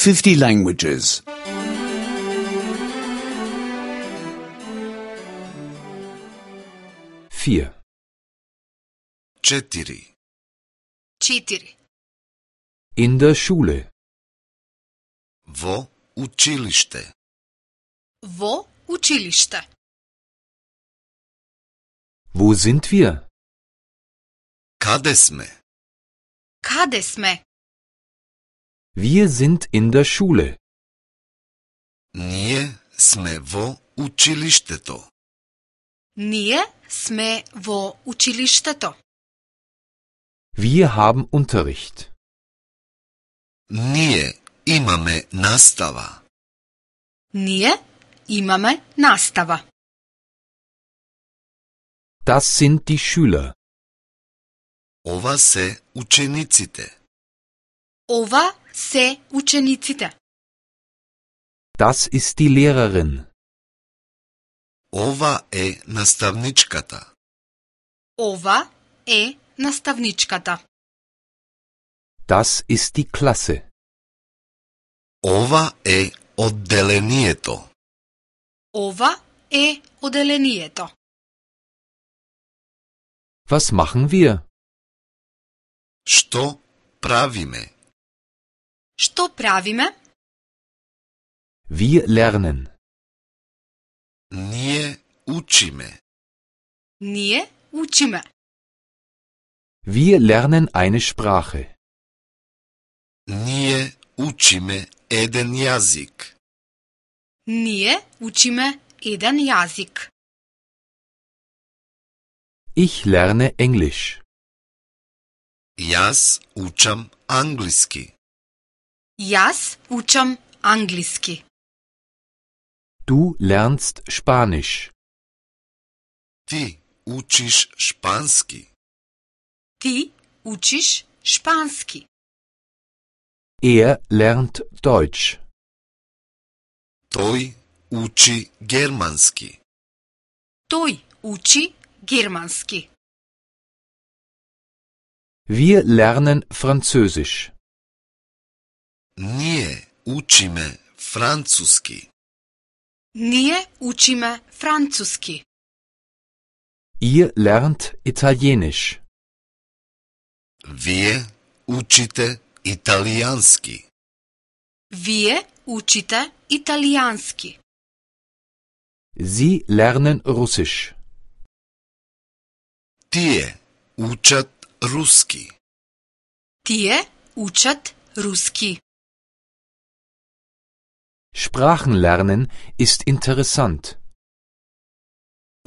50 languages. 4. 4. 4. In der Schule. Во училище. Во училище. Wo sind wir? Каде сме? Каде сме? Wir sind in der Schule. Ние сме во училиштето. Ние сме во училиштето. Wir haben Unterricht. Ние имаме настава. Ние имаме настава. Das sind die Schüler. Ова се учениците. Ова се учениците. Das ist die Lehrerin. Ова е наставничката. Ова е наставничката. Das ist die Klasse. Ова е одделението. Ова е оделението. Was machen wir? Што правиме? Што правиме? Wir lernen. Ние учиме. Ние учиме. Wir lernen eine Sprache. Ние учиме еден јазик. Ние учиме еден јазик. Ich lerne Englisch. Јас учам англиски. Јас учам англиски. Du lernst Spanisch. Ти учиш шпански. Ти учиш шпански. Er lernt Deutsch. Тој учи германски. Тој учи германски. Wir lernen Französisch. Ние учиме француски. Ние учиме француски. Ihr lernt Italienisch. Вие учите италијански. Вие учите италијански. Sie lernen Russisch. Тие учат руски. Тие учат руски. Sprachenlernen ist interessant.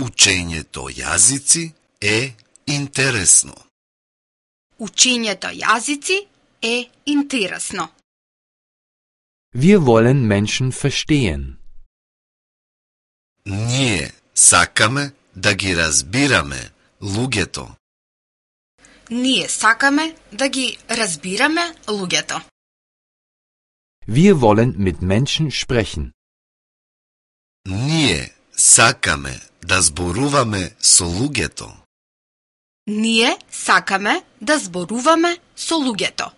Учењето јазици е интересно. Учењето јазици е интересно. Wir wollen Menschen verstehen. Ние сакаме да ги разбираме луѓето. Ние сакаме да ги разбираме луѓето. Wir wollen mit Menschen sprechen. Ние сакаме да зборуваме со луѓето. Ние сакаме да зборуваме со луѓето.